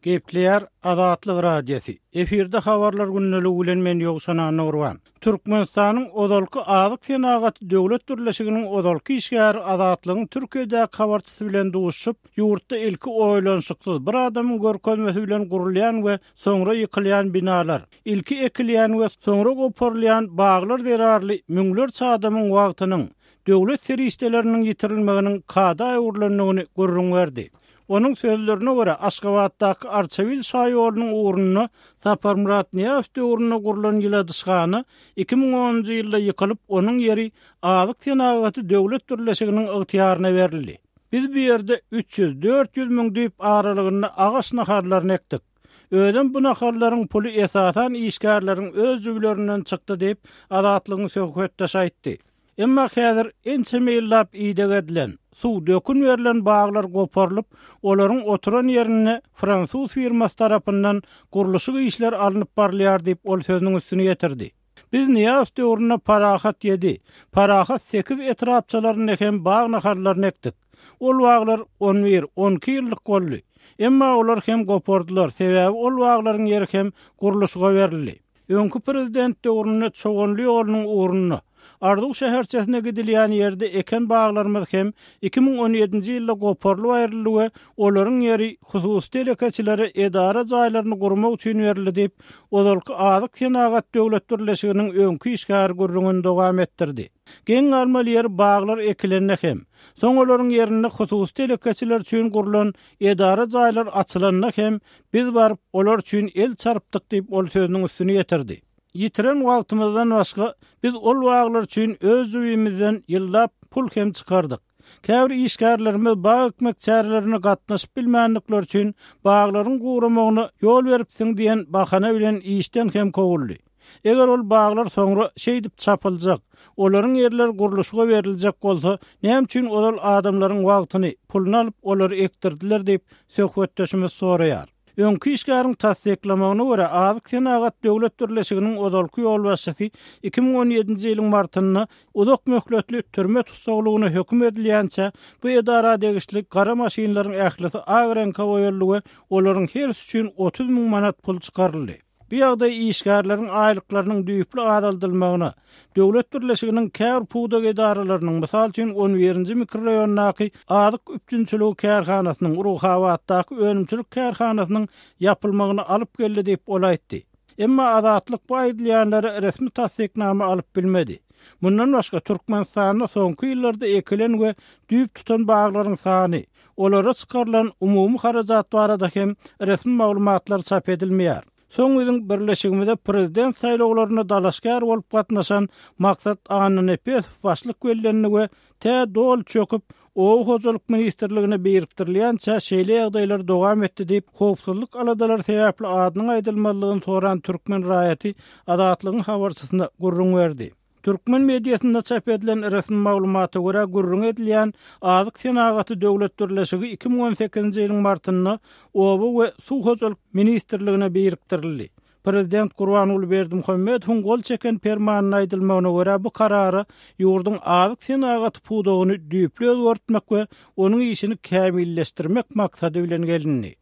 Gepleýär Azatlyk Radiosy. Efirde habarlar gündeligi bilen men Ýowşan Annagurban. Türkmenistanyň ozalky Azyk senagaty döwlet birleşiginiň ozalky işgäri Azatlygyň Türkiýedäki habarçysy bilen duşuşyp, ýurtda ilki oýlanyşyksyz, bir adamyň görkezmesi bilen gurulýan we soňra ýykylýan binalar, ilki ekilýän we soňra goparylýan baglar zerarly müňlerçe adamyň wagtynyň, döwlet serişdeleriniň ýitirilmeginiň kada öwrülendigini gürrüň berdi. Onuň sözlerine görä, Aşgabatdaky Arçabil şaýolunyň ugrunda Saparmyrat Nyýazow döwründe gurlan ýyladyşhana 2010-njy ýylda ýykylyp, onuň ýeri Azyk senagaty döwlet birleşiginiň ygtyýaryna berildi. Biz bu ýerde 300-400 müň düýp aralygynda agaç nahallaryny ekdik. Özem bu nahallaryň puly esasan işgärleriň öz jübülerinden çykdy diýip, Azatlygyň söhbetdeşi aýtdy. Emma häzir ençeme ýyllap ideg edilen, suw, dökün berlen baglar goparylyp, olaryň oturan ýerinde fransuz firmasy tarapyndan gurluşyk işleri alnyp barylýar diýip, ol sözüniň üstüni ýetirdi. Biz Nyýazow döwründe Parahat ýedi, Parahat sekiz etrapçalarynda hem bag nahallaryny ekdik. Ol baglar on bir, on iki ýyllyk boldy. Emma olar hem gopardylar, sebäbi ol baglaryň ýeri hem gurluşyga berildi. Öňki prezident döwründe Çoganly ýolunyň ugrunda, Arzuw şäherçesine gidilýän ýerde eken baglarymyz hem 2017-nji ýylda goparylyp aýryldy we olaryň ýeri hususy telekeçilere edara jaýlaryny gurmak üçin berildi diýip, ozalky Azyk senagat döwlet birleşiginiň öňki işgäri gürrüňini dowam etdirdi. Geň galmaly ýeri baglar ekilende hem, soň olaryň ýerinde hususy telekeçiler üçin gurlan edara jaýlar açylanda hem biz baryp olar üçin el çarpdyk diýip ol sözüniň üstüni ýetirdi. Ýitiren wagtymyzdan başga biz ol baglar üçin öz jübimizden ýyllap pul hem çykardyk. Käbir işgärlerimiz bag ekmek çärelerine gatnaşyp bilmändikleri üçin baglaryň guramagyna ýol beripsiň diýen bahana bilen işden hem kowuldy. Eger ol baglar soňra şeýdip çapyljak, olaryň ýerleri gurluşyga beriljek bolsa, näme üçin ozal adamlaryň wagtyny, puluny alyp olary ekdirdiler diýip, söhbetdeşimiz soraýar. Öňki işgäriň tassyklamagyna görä, Azyk senagat döwlet birleşiginiň ozalky ýolbaşçysy 2017-nji ýylyň martynda uzak möhletli türme tussaglygyna höküm edilýänçä, bu edara degişli gara maşynlaryň ählisi ak reňke boýaldy we olaryň hersi üçin 30 müň manat pul çykaryldy. Bu ýagdaý işgärleriň aýlyklarynyň düýpli azaldylmagyna, döwlet birleşiginiň käbir pudak edaralarynyň, mysal üçin, on birinji mikroraýondaky azyk üpjünçiligi kärhanasynyň, Ruhabatdaky önümçilik kärhanasynyň ýapylmagyna alyp geldi diýip, ol aýtdy. Emma Azatlyk bu aýdylýanlara resmi tassyknama alyp bilmedi. Mundan başga, Türkmenistanda soňky ýyllarda ekilen we düýp tutan baglaryň sany, Olara çykarylan umumy harajat barada hem resmi maglumatlar çap edilmeýär. Soň biziň birleşigimize prezident saýlawlaryna dalaşgär bolup gatnaşan Maksat Annanepesow başlyk bellendi we tä doly çöküp, Oba hojalyk ministrligine birikdirilýänçä şeýle ýagdaýlar dowam etdi diýip, howpsuzlyk aladalary sebäpli adynyň aýdylmazlygyny soran türkmen raýaty Azatlygyň habarçysyna gürrüň berdi. Türkmen mediasynda çap edilen resmi maglumata görä, gürrüňi edilýän Azyk senagaty döwlet birleşigi 2018-nji ýylyň martynda Oba we suw hojalyk ministrligine birikdirildi. Prezident Gurbanguly Berdimuhamedowyň gol çeken permanynda aýdylmagyna görä, bu karara ýurduň azyk senagaty pudagyny düýpli özgertmek we onuň işini kämilleşdirmek maksady bilen gelindi.